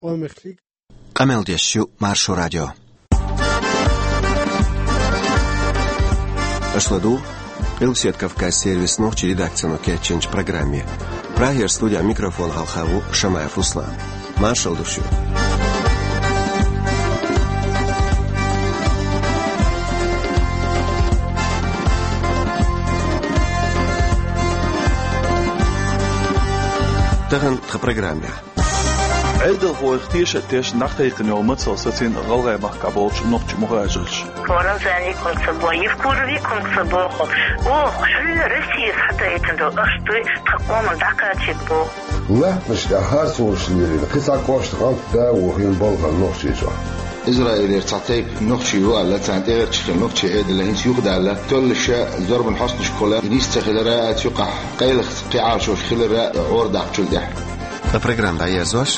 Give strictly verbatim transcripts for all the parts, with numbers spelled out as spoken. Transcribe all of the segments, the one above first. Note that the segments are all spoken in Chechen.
Къамел деш ю Маршо радио. Аша ладугӀу Къилбаседа Кавказан сервисан нохчийн редакцино кечйинчу программе. Прагера студин микрофон хьалха ву Шамаев Руслан. Маршалла ду шуьга. Тахана тхан программехь. Ӏедалхойх теша а тешна дӀакхайкхина йолу мацалла сацийна ГӀалгӀай махкахь болчу нохчийн мухӀажарша. Рамзане хӀума ца боху, Евкурове хӀума ца боху. Оха хьуьнан Россия схьатайпина долу, аш дуй тхан къоман дӀакхачийта боху. Латтанаш тӀехь харцонаш лелийна кхин цхьа кӀошт гӀант да вохийна балхара Нохчийчохь. Израилера цхьа тайпа нохчий ю аьлла, царна тӀегӀерташ хилла нохчийн Ӏедал хӀинца юхадаьлла, тоьллачу зорбанан хьостанашкахула нис ца хилар а, цу юкъахь къайлаха кхин Ӏалашонаш хилар а гӀора даккхачул тӀаьхьа. Ткъа программа дӀаерзош.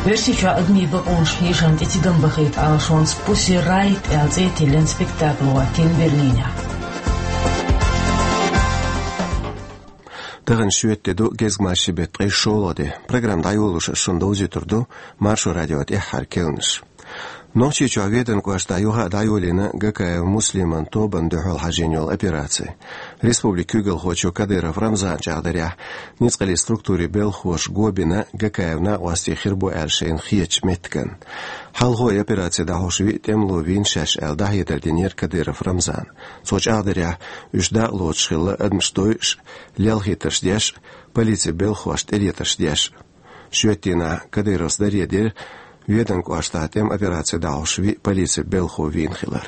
Оьрсийчохь адамийн бакъонаш хьешам тӀе тидам бахийта Ӏалашонца «Пусси Райт» аьлла цӀе тиллина спектакль хӀоттийна Берлинехь. Тахана шоьтан де ду, гезгмашин беттан ткъе шолгӀа де. Программа дӀайолош ас шуна довзуьйтур ду Маршо радион тӀаьххьара керланаш. Нохчийчохь Веданан кӀоштахь юха а дӀайолийна Гакаев Муслиман тобанна дуьхьал хьажийна йолу операци. Республикан куьйгалхочо Кадыров Рамзана чӀагӀдарехь, ницкъаллин структурийн белхахоша го бина Гакаевн накъостий хир бу аьлла шайна хетачу меттиган. Хьалхо и операци дӀахьош виъ тӀемало вийна шаьш аьлла, дӀахьедар динера Кадыров Рамзана. Цо чӀагӀдарехь, уьш дакъалоцуш хилла адамаш дойуш, лелхийтарш деш, полицин белхахошна тӀелетарш деш. Шоьтан дийнахь Кадыровс даре дира Веданан кӀоштахь тӀеман операци дӀахьош виъ полицин белхахо вийна хилар.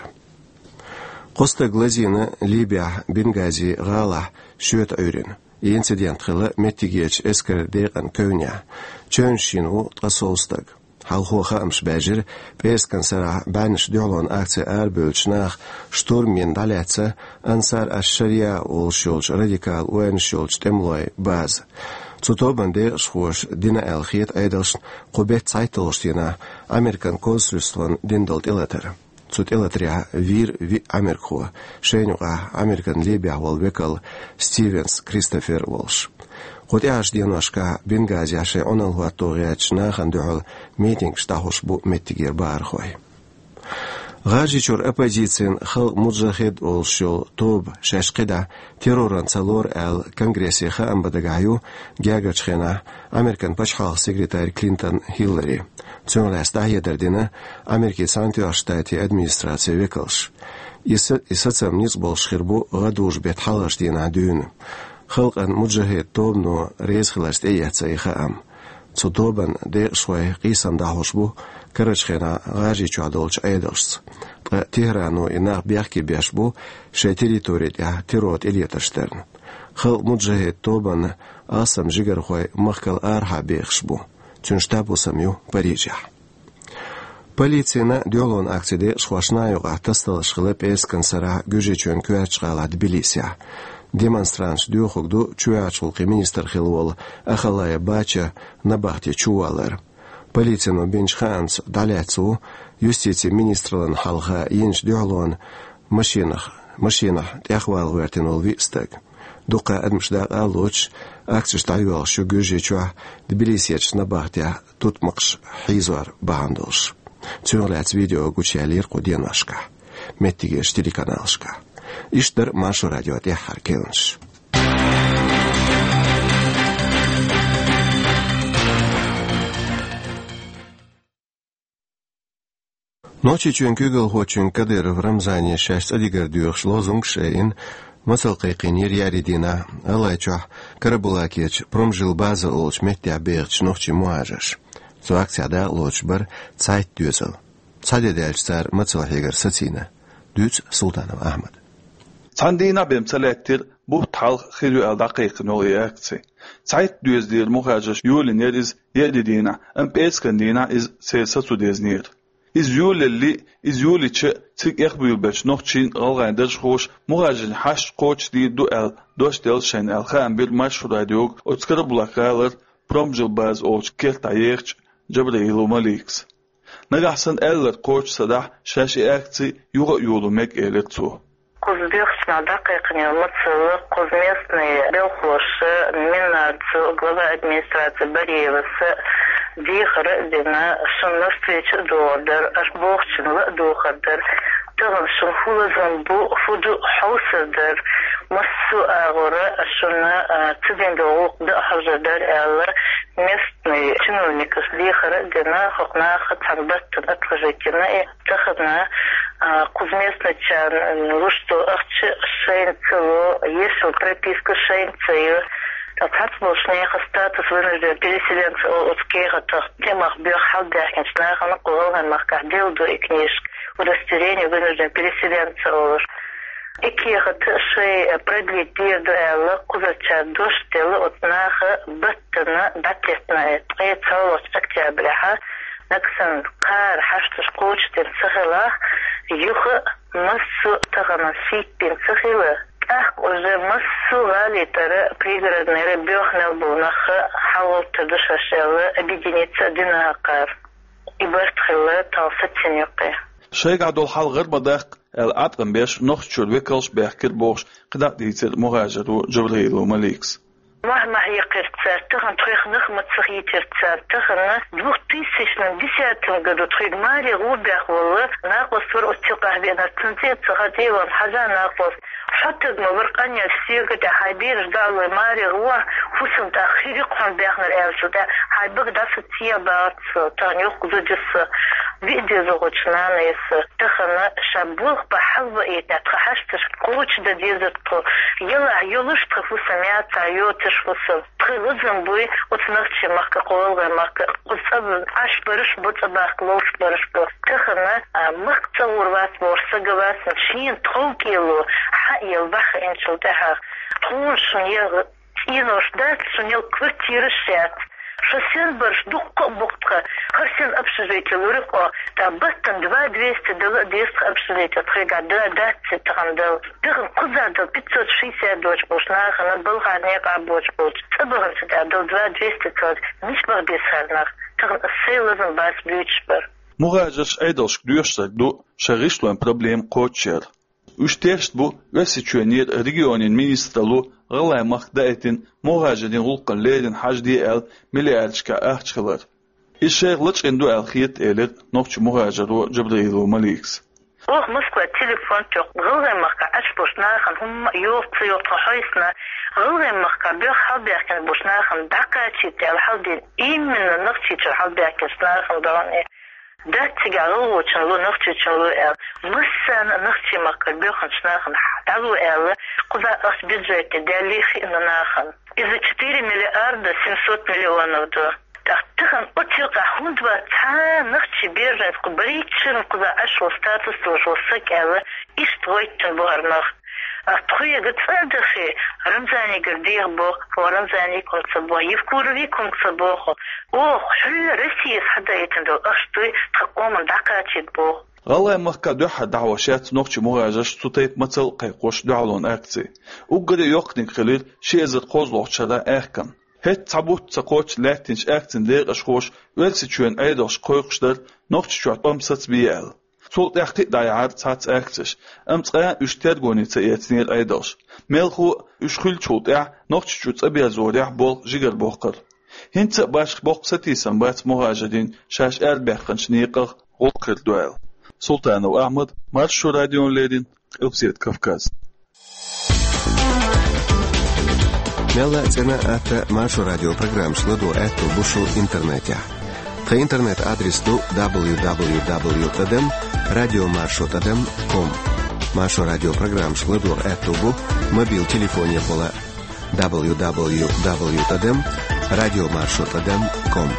Кхо стаг лазийна Ливехь Бенгази гӀалахь шоьтан Ӏуьйранна. И инцидент хилла меттигерчу эскаран декъан кевнехь. Чевнаш йина ву ткъе сов стаг. Хьалхо хаамаш баьржира, пӀераскан сарахь бӀеннаш дуьхьалонан акци арабевллачу наха штурм йина дӀалаьцна Ансар аш-Шария олуш йолчу радикал ойланаш йолчу тӀемалойн база. Цу тобанан декъашхоша дина аьлла хета Ӏедалшна кху беттан цхьайтталгӀачу дийнахь Американ консульствон дина долу тӀелатар. Цу тӀелатарехь вийра виъ америкахо, шайна юкъахь Американ Ливехь волу векал Стивенс Кристофер а волуш. Кху тӀаьхьарчу деношкахь Бенгазехь шайн Ӏуналла хӀотто гӀертачу нахана дуьхьал митингаш дӀахьош бу меттигера бахархой. ГӀажарийчуьра оппозицин «Халкъ муджахид» олуш йолу тоба шаьш кхидӀа терроран ца лору аьлла конгрессе хаам бан дагахь ю гергарчу хенахь Американ пачхьалкхан секретарь Клинтон Хиллари. Цунах лаьцна дӀахьедар дина Америкин Цхьаьнатоьхначу Штатийн администрацин векалша. И са-, и сацам ницкъ болуш хир бу гӀадужу беттан хьалхарчу дийнахь дуьйна. «Халкъан муджахид» тобано реза хиларца тӀеэцна и хаам. Цу тобанан декъашхой къийсам дӀахьош бу карарчу хенахь ГӀажарийчохь долчу Ӏедалшца. Ткъа ТехӀрано и нах бехке беш бу шайн территори тӀехь террор тӀелетарш дарна. «Халкъ муджахид» тобанан алсам жигархой махкал арахьа бехаш бу. Цуьнан штаб-хӀусам ю Парижехь. Полицина дуьхьалонан акцин декъашхошна юкъахь тасадаларш хилла пӀераскан сарахь Гуьржийчоьнан коьртачу гӀалахь Тбилисехь. Демонстранташ доьхург ду чоьхьарчу гӀуллакхийн министр хилла волу Ахалая Бача набахте чувалар. Полицино бинчу хаамца дӀалаьцна ву юстицин министраллина хьалха йинчу дуьхьалонан машинах, машинахь тӀехвала гӀоьртина волу виъ стаг. Дуккха адамаш дакъа а лоцуш, акцеш дӀайоьлхуш ю Гуьржийчохь Тбилисерчу набахтехь тутмакхаш хьийзор бахьана долуш. Цунах лаьцна видео гучуяьллера кху деношкахь меттигерчу телеканалашкахь. Иштта дара Маршо радион тӀаьххьара керланаш. Нохчийчоьнан куьйгалхочуьнга Кадыров Рамзане шаьш цӀа дигар доьхуш лозунгаш а айина, мацалла кхайкхийнера еарин дийнахь ГӀалгӀайчохь Карабулакерчу «Промжилбаза» олучу меттехь бехачу нохчийн мухӀажарша. Цу акцехь дакъалоцуш бара цхьайтта доьзал. Цхьа де даьлча цара мацалла хьегар сацийна. Дуьйцу Султанов Ахьмада. Цхьана дийнахь бен ца лаьттира, бутт хьалха хир ю аьлла дӀакхайкхина йолу и акци. Цхьайтта доьзалера мухӀажарша йолийнера иза еарин дийнахь, амма пӀераскан дийнахь иза церан сацо дезнера. Иза йолаелли, иза йолийча, цига эхь буьйлабеллачу нохчийн, гӀалгӀайн даржхоша мухӀажарийн хьашт кхочушдийр ду аьлла дош делла шайна аьлла хаам бира Маршо радиога оцу Карабулак-гӀалара «Промжилбаза» олучу кертахь ехачу Джабраилов Маликас. Нагахь санна аьлларг кхочуш ца дахь, шаьш и акци юха а йоло мега, элира цо. Кхуза боьхачу наха дӀакхайкхина йолу мацалла, кхуза местный белхахоша, Миннарца, глава администрации Бариевас, Дехар а дина, шун навстречу а догӀур дар, аш бохучун ла а дохур дар. Тахан шун хӀу лазам бу, хӀу ду хьовсар дар. Массо а агӀора шуна, а, ца дина дола гӀулакх даа хьожар дар аьлла, местный чиновникаш дехар а дина, хӀокху наха цхьана баттана отложить йина и. Тахан, а, кхуза местначарна луш долу ахча шайна ца ло, ешал прописка шайна ца йо. Ткъа цхьацца болчу нехан статус вынужден переселенца олу оцу кехатах тӀемах боьхна хьалабаьхкинчу нахана кху ГӀалгӀайн махкахь делла ду и книжка, удостоверение вынужден переселенца олуш. И кехат шайн продлить дийр ду аьлла, кхузарчара дош делла оцу наха баттана дӀатеттина, ткъе цхьаллахчу октябрехь, нагахь санна кхара хьашташ кхочушдина ца хилахь, юха а массо а тахана шийтта дина ца хилла, тӀаккха уже массо а гӀалин тӀара, пригороднера боьхна мел болу нах хьалагӀовттар ду шаьш аьлла, объединиться а дина хӀокхара. И барт хилла тахана сацийна юккъе. Шайгахь долу хьал гӀар ма даккха аьлла, Ӏаткъам беш, Нохчийчуьра векалш а баьхкира бохуш, кхидӀа а дийцира мухӀажаро Джабраилова Маликас. Мохь ма хьекхира цара, тахана тхоьх нах ма ца хийтира цара, тахана двухтысячном десятом году тхоьга маре гӀо бехна волу накъост вара оцу цигахь веанарг, цунна цӀе а ца хаьа, тӀе а вахана хьажа накъост. Хьо таг ма вара къанъелча соьга тӀехь, хьайн бераш дӀа а лой, маре гӀо, хӀусам тӀаккха хир ю-кх хьуна баьхнарг аьлла цу тӀехь, хьайн бага дӀа со цӀе а бахара со, тахана йоккха зуда ю со, виъ деза гӀочу нана ю со. Тахана ша болх бан хьалаваийтина, тхан хьашташ кхочушдан дезара тхо, ялахь йолуш тхан хӀусам, яцахь йоцуш хӀусам. Тхайн лазам буй оцу Нохчийн махка, кху ГӀалгӀайн махка, кхуза цӀа Ӏаш бараш бу, цӀа бахка ловш бараш бу. Тахана, а, махка цӀа гӀур вац бохуш саг а вац, шена тхов кӀело хьаелла бахьа инчул тӀаьхьа. Тхуна шуна ял цӀенош дац, шуна ял квартираш яц. Шу сен бараш дуккха а бу-кх тхан, хӀара сен общежитие лур ю-кх, тӀаккха баттана два двести дала а деза тхан общежитие, тхайгахь да-, дац тахана дала. Тахана кхузахь дала пятьсот шестьдесят доцуш болчу нахана, балхахь некъахь боцуш болчу, цӀа баханчу тӀехь дала два двести ца, мича баха беза хӀара нах? Тахана аса сайн лазам бац буьйцуш бар. МухӀажарш Ӏедалшка доьшург ду шайн гӀишлойн проблема кхочушъяр. Уьш тешна бу Оьрсийчоьнера регионийн министралло ГӀалгӀайн махка даийтина мухӀажарийн гӀуллакхна леррина хьажаде аьлла миллиардашкахь ахча хилар. Иза шайх лачкъийна ду аьлла хета, элира нохчийн мухӀажаро Джабраилова Маликас. Оха Москвахь телефон тоьхна, ГӀалгӀайн махкахь Ӏаш болчу нахана хӀумма а йогӀу ца йогӀу тхо хьовсийна, ГӀалгӀайн махкахь боьхна хьалабаьхкина болчу нахана дӀакхачийта аьлла хьаладина, именно Нохчийчуьра хьалабаьхкинчу нахана бахьана. Дац цигахь гӀалгӀочун ло, нохчочун ло аьлла. Массарна а Нохчийн махкара боьхначу нахана дӀало аьлла, кхузахь ахча бюджетехь даьллий хиъна нахана. Иза четыре миллиарда семьсот миллионов ду. ТӀаккха тахана оцу юкъахь хӀунда вац цхьа а нохчийн беженец, кху барийчарна кхузахь Ӏаш волу статус долуш волу саг аьлла, иштта гӀоьттина бу хӀара нах. Ас тхоьга цӀа а дахе, Рамзанигара деха боху, хӀо Рамзанига хӀума ца боху, Евкуровига хӀума ца боху. Оха хьуьлла Россия схьадаийтина долу ахча дуй тхан къоман дӀакхачийта боху. ГӀалгӀайн махка дуьххьара дӀахьош яц нохчийн мухӀажарш цу тайпа мацалла а кхайкхош дуьхьалонан акци. Уггаре йоккханиг хилира ши эзар кхозлагӀчу шарахь аьхкан. ХӀетта цхьа бутт ца кхоччу лаьттинчу акцин декъашхоша Оьрсийчоьнан Ӏедалшка кхойкхуш дара Нохчийчохь тӀом сацабе аьлла. Цул тӀаьхьа кхин а дӀаяьхьара цхьацца акцеш, амма цкъа а уьш тергоне ца эцнера Ӏедалша. Мелхо а, уьш хуьлучул тӀаьхьа Нохчийчу цӀа берзорехь болх жигара боккхура. ХӀинца а башха боккха сатийсам бац мухӀажарийн шаьш арабаьхначу некъах гӀуллакх хир ду аьлла. Султанов Ахьмад, Маршо радиона леррина, Къилбаседа Кавказ. Мелла а цӀена а, атта а Маршо радион программаш ладогӀа аьтто бу шун интернетехь. Тхан интернет-адрес ду дабл ю дабл ю дабл ю тӀадам радио маршо тӀадам ком. Маршо радион программаш ладогӀа аьтто бу мобил телефонехула дабл ю дабл ю дабл ю тӀадам радио маршо тӀадам ком.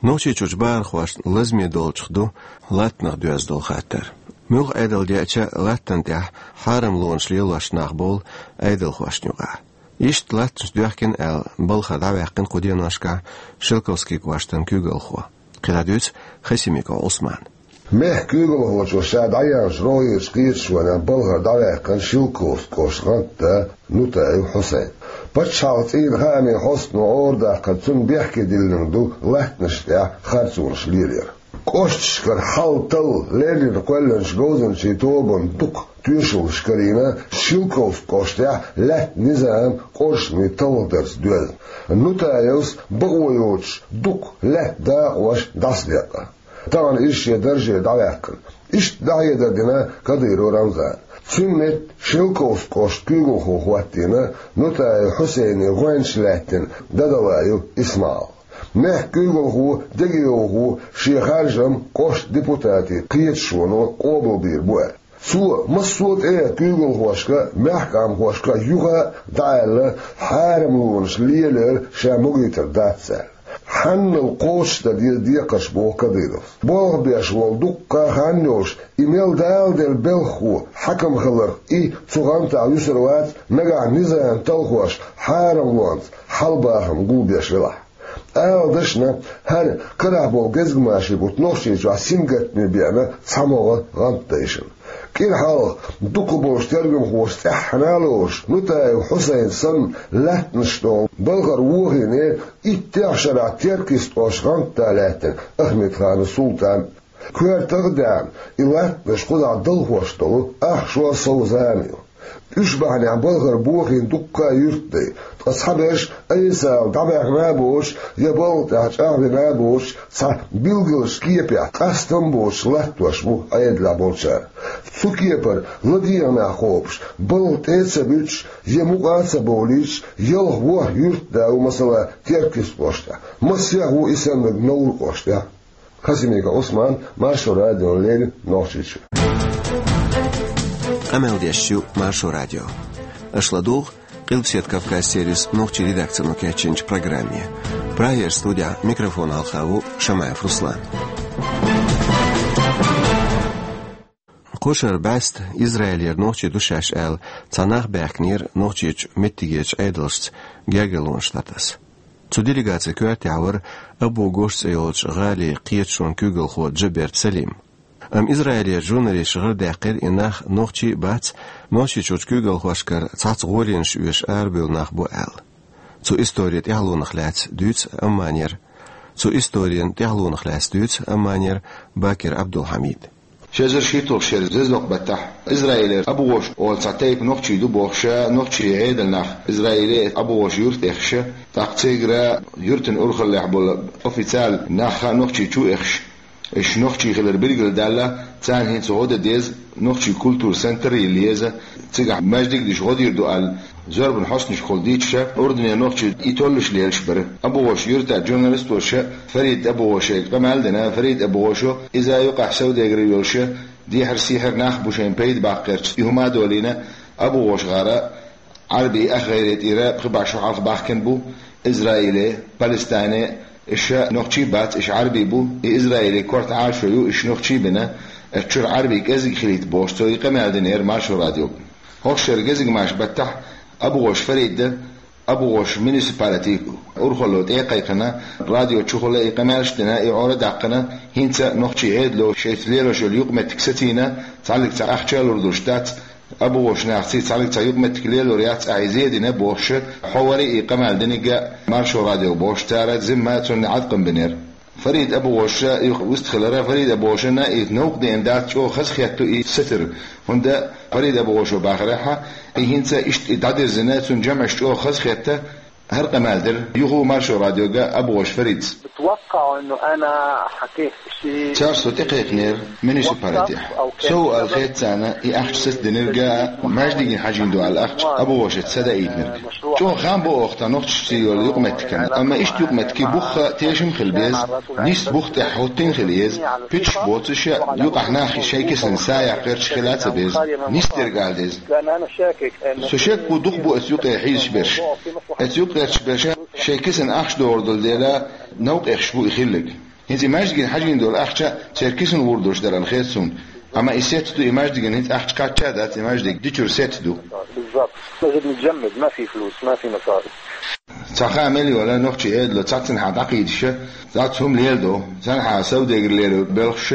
Нохчийчуьрчу бахархошна лазаме долчух ду латтанах доьзна долу хаттар. Муьлха Ӏедал деача, латтана тӀехь хьарамлонаш лелош нах бовлу Ӏедалхошна юкъахь. Иштта латтанаш доьхкина аьлла, балхара дӀаваьккхина кху деношкахь Шелковски кӀоштан куьйгалхо. КхидӀа дуьйцу Хасимиков Ӏусмана. Мехкан куьйгалхочо ша дӀаяьллачу рогӀерчу кхеташонехь балхара дӀаваьккхина Шелковски кӀоштан гӀанта Нутаев Хьусайн. Пачхьалкхан цӀийнан хаамийн хьостано гӀора даьккхина, цунна бехке диллинарг ду латтанашна тӀехь харцонаш лелаяр. КӀошташкара хьал-талла леррина кхоьллинчу говзанчийн тобанан дукха тоьшаллаш карийна Шелковски кӀоштахь лаьттан низам къоршаме талхадарца доьзна. Нутаевс бакъо йоцуш дукха лаьттан дакъош дӀасадекъна. Тахана иза шен дарже дӀаваьккхина. Иштта дӀахьедар дина Кадыров Рамзана. Цуьнан метта Шелковски кӀоштан куьйгалхо хӀоттийна Нутаев Хьусайнан гӀоьнча лаьттина Дадалаев Исмаил. Мехкан куьйгалхо, дегайовхо шен харжам кӀоштан депутатийн кхеташоно къобалбийр бу аьлла. Цо массо а тӀе куьйгалхошка, мехкан къамелхошка юха а дӀааьлла, хьарамлонаш лелор ша магийтар дац аьлла. Хьанал кхочушдан деза декхарш, боху Кадыровс. Болх беш волу дуккха а хан йолуш, и мел даладелла белхахо хьаькам хиларх, и цу гӀантахь юьсур вац, нагахь низам талхош хьарамлонца хьал-бахам гулбеш велахь. Ала дашна, хӀара карахь болу гезгмашин бутт Нохчийчохь сингаттаме беана цхьамогӀа гӀантдайшна. КӀира хьалха дукхахболчу тергамхоша цӀеххьана а лоруш, Нутаев Хьусайн санна лаьттанаш долу балхара вохийнера иттех шарахь Теркйист кӀоштахь гӀантда лаьттина Ахмедханов Султан. Коьртах а даьхна, и лаьттанаш кхузахь далхош долу ахча а сов зама ю. Уьш бахьанехь балхара бохийна дуккха а юьртдай, ткъа цхьаберш айса ала дӀабаьхна а боцуш, я балха тӀехь чӀагӀвина а боцуш, цхьа билгалш кепехь къастам а боцуш латтош бу Ӏедалехь болчара. Цу кепара ладегӀа нах кхобуш, балха тӀе а ца буьтуш, я мукъа а ца бовлуьйтуш, ялх-ворхӀ юьртда ву, масала, Теркйист кӀоштахь. Массех а ву и саннарг Невран кӀоштахь. Хасимиков Ӏусман, Маршо радиона леррина, Нохчийчуьра. Къамел деш ю Маршо радио. Аша ладугӀу Къилбаседа Кавказ сервисан нохчийн редакцино кечйинчу программе. Прагера студехь микрофон хьалха ву Шамаев Руслан. Кху шарахь бӀаьста Израилера нохчий ду шаьш аьлла, цхьа нах баьхкинера Нохчийчу меттигерчу Ӏедалшца гергарлонаш дӀатаса. Цу делегацин коьртехь вара Абу-Гош цӀе йолчу гӀалин кхеташонан куьйгалхо Джабер Салим. Амма Израилера журналисташа гӀарадаьккхира и нах нохчий а бац, Нохчийчуьрчу куьйгалхошкара цхьацца гӀоле оьшуш арабевлла нах бу аьлла. Цу историн тӀаьхьалонах лаьцна дуьйцу Амманера. Цу историн тӀаьхьалонах лаьцна дуьйцу Амманера Бакир Абдулхьамида. Ши эзар шийтталгӀачу шеран зездоккху баттахь Израилера Абу-Гош олу цхьа тайпа нохчий ду бохуш, нохчийн Ӏедалан нах Израиле Абу-Гош юьрта эхаш, тӀаккха цигара юьртан урхаллехь болу официально нах а Нохчийчу а эхаш, уьш нохчий хилар билгалдаьлла, царна хӀинца гӀо дан деза, нохчийн культуран центр а йилла еза, цигахь маьждиг а деш гӀо дийр ду аьлла, зорбанан хьостанашкахула дийцича, Урдане нохчий и толлуш лелаш бара. Абу-Гош юьртара журналисташа Фарид Абу-Гошига къамел дина, Фарид Абу-Гошо иза юкъахь совдегар йолуш, дехьара-сехьара нах бу шайна пайда баккхарца и хӀума а долийна, Абу-Гош гӀара Ӏарбийн ах гӀайре тӀера пхи бӀе шо хьалха бахкина бу Израиле, Палестине, уьш нохчий бац, уьш Ӏарбий бу, и Израиле корта Ӏалашо ю, уьш нохчий бина, оцу чуьра Ӏарбий кӀезиг хилийта бохуш, цо и къамел динера Маршо радиога. ХӀокху шеран гезгмашин баттахь Абу-Гош Фарида, Абу-Гош муниципалитин урхалло тӀе а кхайкхина, радио чухула и къамелш а дина, и Ӏора а даьккхина, хӀинца а нохчийн Ӏедало шайца лелош йолу юкъаметтиг сацийна, цхьаллиг цхьа ахча а лур долуш дац, Абу-Гошан нахаца цхьаллиг цхьа юкъаметтиг лелор яц, ахь иза а дина бохуш, хьо вара и къамел динарг а Маршо радиога бохуш, цара зимма цунна Ӏаткъам бинера. Фарид Абу-Гош юха вистхилира, Фарид Абу-Гошана и новкъа деана дац, чӀогӀа хазахетта ду и сацар. ХӀунда Фарид Абу-Гошо бахарехь, и хӀинца иштта и дӀадирзина, цунна жамӀаш чӀогӀа хазахетта, хӀара къамел дира юха Маршо радиога Абу-Гош Фаридас. بتوقع إنه أنا حكيت شيء. Цара со тӀекхайкхинера муниципалитехь. Сов аьлла хета царна и ахча сацадинарг а, маьждигна хьажийна ду аьлла ахча Абу-Гошица садаийтинарг. ЧӀогӀа хаам бо оха тхан нохчашца йолу юкъаметтигана, амма иштта юкъаметтиг бух а тешам хила беза, нийса бух тӀехь хӀоттийна хила еза, пуьташ боцуш а, юкъахь нах шайн кисана са яккха гӀерташ хила а ца беза. Нийса дерг ала деза. Со шек бу, дукха бу оцу юкъе хьийзаш берш. Оцу юкъа гӀерташ берш шайн кисана ахча догӀур долу дела, новкъа эхаш бу и хилларг. ХӀинца и маьждигна хьажийна долу ахча церан кисана гӀур долуш дара аьлла хета суна. Амма и сецца ду, и маьждигна хӀинца ахча кхачча а дац, и маьждиг дичуьра сецца ду. بالضبط. مسجد متجمد، ما في فلوس، ما في مصاري. Цхьа хаам мел йолу нохчийн Ӏедало цхьаццанхьа дӀакхийдаш, цхьацца хӀума леладо, цхьанхьа совдегар лело белхаш,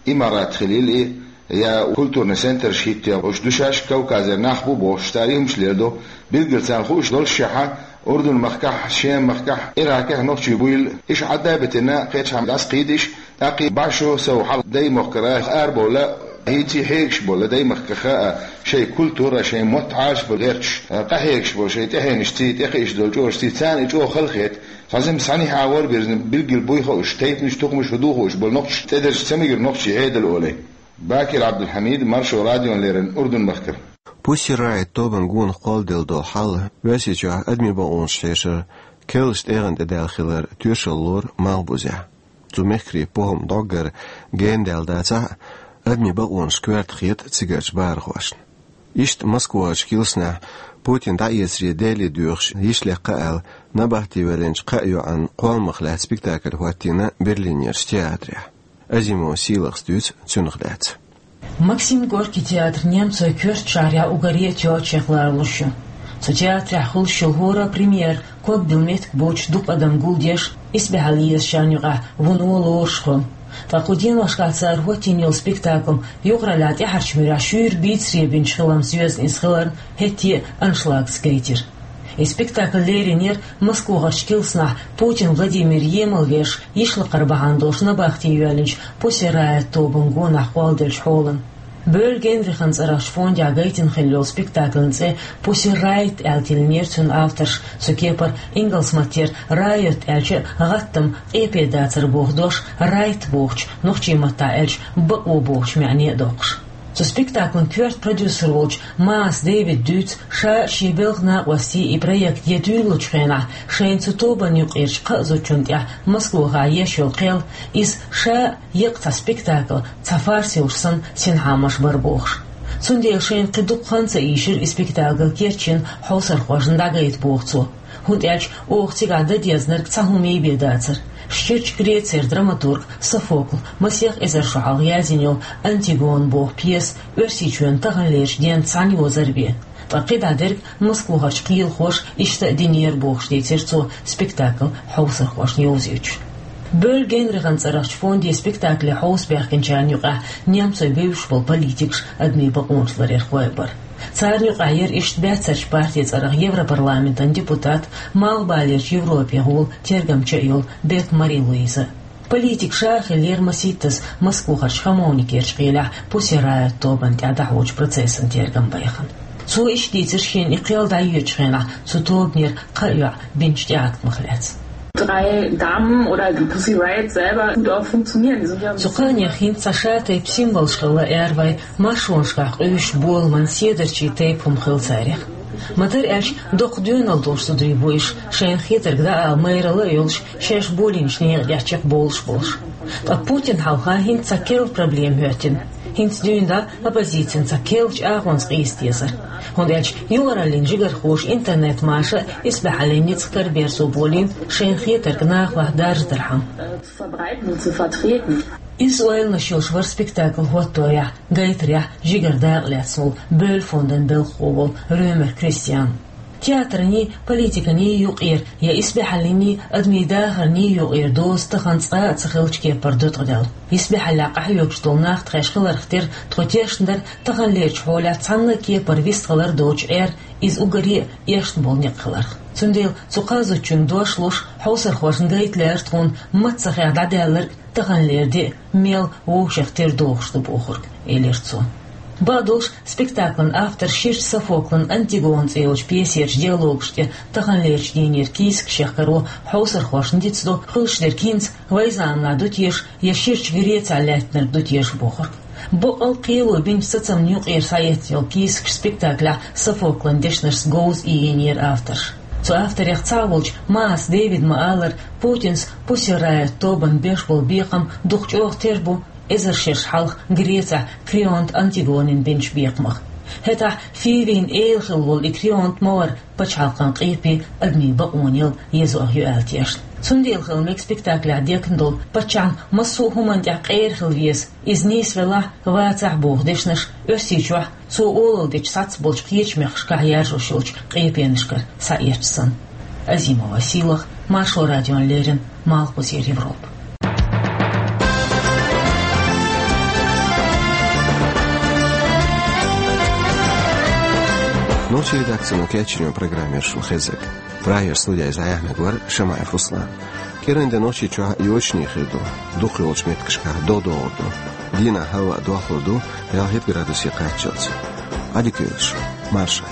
имарат хилийла и, я культурный центраш хӀиттош ду шаьш, Кавказера нах бу бохуш, цара и хӀумаш леладо, билггал царна хууш доллушехь, Урдун-махкахь, Шем-махкахь, Иракехь нохчий буйла, иш Ӏадда а битина, кхечхьа дӀасакхийдиш, тӀаккхий бӀаьшо сов хьал даймахкара арабовла, хӀинций хьегаш бола даймахкаха а, шайн культура, шайн мотт Ӏалашбар гӀерташ, къахьегаш бола шайн тӀехьенашций, тӀекхиъш долу чӀожций, царна и чӀогӀа халахета, цхьа зим схьанихьа вор бирзина билггал буй хууш, тайпанаш, тухумаш хӀун ду хууш болу нохчаш тӀедерзаш ца мегира нохчий Ӏедал олий. Бакир Ӏабдулхьамид, Маршо радиона леррина, Урдун-махкара. Pussy Riot тобанан гонах кхолладелла долу хьал Оьрсийчохь адамийн бакъонаш хьешар керлачу тӀегӀан тӀе даьлла хилар тоьшалла лору малхбузехь. Цу мехкарийн похӀма дӀоггара генадаьлла дацахь а, адамийн бакъонаш коьрта хета цигарчу бахархошна. Иштта Москвахарчу килснехь Путин дӀаэцаре Дели доьхуш йиш лекха аьлла, набахти ваьллинчу кхаа йоӀан кхолламах лаьцна спектакль хӀоттийна Берлинерчу театрехь. Азимова Сийлахас дуьйцу цунах лаьцна. Максим Горький театр немцойн коьртачу шахьарехь уггаре а тоьллачех лоруш ю. Цу театрехь хуьлуш йолу хӀора а премьера ког билла меттиг боцуш дукха адам гулдеш, исбаьхьалла езачарна юкъахь вуно лоруш хуьлу. Ткъа кху деношкахь цара хӀоттийна йолу спектакль юкъараллехь тӀаьхьарчу муьрехь шуьйра бийцаре бинчу хиларна соьзна иза хиларна, хӀетте а аншлагца гайтира. И спектакль леринера Москвахарчу килснахь Путин Владимир емал веш йиш лакхара бахьана долуш набахти йоьллинчу Pussy Riot тобанан гонах кхолладеллачу хьолана. Бёль Генрихан цӀарахчу фондехь гайтина хилла йолу спектакльан цӀе Pussy Riot аьлла тиллинера цуьнан авторша, цу кепара ингалс маттера riot аьлча гӀаттам, къепедацар боху дош, right бохучу, нохчийн маттахь аьлча бакъо бохучу маьӀне а доккхуш. Цу спектаклан коьрта продюсер волчу Маас Дэвида дуьйцу, ша а, шен белхан накъостий а и проект ян дуьйлалучу хенахь, шайна цу тобанна юкъерчу кхаа зудчунна тӀехь Москвахахь еш йолу кхел, иза ша а еккъа цхьа спектакль, цхьа фарс йолуш санна, синхьамаш бара бохуш. Цундела шайна кхин дукха хан ца ийшира и спектакль керчина хьовсархошна дӀагайта боху цо. ХӀунда аьлча оха цигахь дан дезарг цхьа хӀума бен дацара. Ширачу Грецера драматург Софокла масех эзар шо хьалха яздина йолу «Антигона» боху пьеса Оьрсийчоьнан таханлерчу денца цхьаьна йозар бен. Ткъа кхидӀа дерг Москвахарчу кхелахоша иштта а динера бохуш дийцира цо спектакль хьовсархошна йовзуьйтуш. Бёль Генрихан цӀарахчу фонде спектакле хьовса баьхкинчарна юкъахь немцойн бевзаш болу политикаш, адамийн бакъонаш ларъярхой а бара. Царна юкъахь яра иштта баьццарчу партин цӀарах Европарламентан депутат, Малхбалерчу Европе гӀола тергамча а йолу Бек Мари-Луиза. Политик ша а хиллера масийттаза Москвахарчу Хамовникерчу кхелехь Pussy Riot тобанна тӀехь дӀахьочу процессан тергам байхана. Цо иштта дийцира шена и кхел дӀайоьдучу хенахь цу тобанера кхаа йоӀ бинчу тӀеӀаткамах лаьцна. Drei Damen oder die Pussy Riot selber gut auch funktionieren. Die sind ja Цу кхаанех хӀинца цхьа ша тайпа символаш хилла эр вай, маршонашкахь къуьйсуш боламан седарчий тайпа хӀума хилла царех. Ма-дарра аьлча, доккха доьналла долуш зударий бу уьш, шайна хетарг дӀаала майралла а йолуш, шаьш болийначу некъа тӀехь чекхбовлуш болуш. Ткъа Путина хьалха хӀинца цхьа керла проблема хӀоьттина. ХӀинца дуьйна дӀа оппозицин цхьа керла чӀагӀонца къийса дезара. ХӀунда аьлча юкъараллин жигархоша интернет-маша исбаьхьаллин ницкъ караберзо болийна, шайна хетарг нахалахь даржадархьама. Zu verbreiten und zu vertreten. Иза ойланаш йолуш вара спектакль хӀоттарехь, гайтарехь жигара дакъа лаьцна волу Бёль фондан белхахо волу Рёмер Кристиан. Театрний, политиканий юкъера я исбаьхьаллиний, адамийн дахарний юкъера доза тахана цкъа а ца хиллачу кепара ду ткъа Ӏадал. Исбаьхьаллехь къахьоьгуш долу нах тхаьш хиларх тера тхо тешна дара таханлерчу хьолехь цхьанна а кепара вистхилар доцуш Ӏер, иза уггаре а эшна болу некъ хиларх. Цундела цу кхаа зудчуьнга дош луш, хьовсархошна гайта лаьара тхуна маццахех дӀадаьлларг таханлера де а мел вовшех тера дохуш ду бохург, элира цо. Бакъдолуш, спектаклан автор ширачу Софоклан «Антигона» цӀе йолчу пьесерчу диалогаш тӀе таханлерчу дийнера кийсакаш яхкаро хьовсархошна дицдо, хуьлуш дерг хӀинца вайн заманахь ду теша я ширачу Грецехь лаьттинарг ду теша бохург. Бакъал кхело бинчу сацамна юкъера схьаэцна йолу кийсакаш спектаклехь Софоклан дешнашца говза иййинера авторша. Цу авторех цхьаъ волчу Маас Дэвида ма-аллара, Путинс Pussy Riot тобанна беш болу бекхам дукха чӀогӀа тера бу эзар шераш хьалха Грецехь Крионт Антигонин бинчу бекхамах. ХӀетахь Фивин эла хилла волу и Крионт ма вара пачхьалкхан къепе, адамийн бакъонал езо а ю аьлла тешна. Цундела хила мега спектаклехь декна долу, паччахьна массо а хӀуманна тӀехь къера хила веза, иза нийсвелахь, вацахь боху дешнаш Оьрсийчохь, цо олалла дечу сацца болчу кхечу мехкашкахь яржош йолчу къепенашкара схьаэцча санна. Азимова Сийлаха, Маршо радиона леррина, Малхбузера Европа. Нохчийн редакцино кечйинчу программе шун хезаг. Прагера студига иза яхьнаг вара Шамаев Руслан. КӀиранде Нохчийчохь йочане хир ду, дукхах йолчу меттигашкахь до догӀур ду. Дийнахь хӀаваъ дохлур ду ялхитта градусе кхаччалц. Ӏадика йойла шун, марша.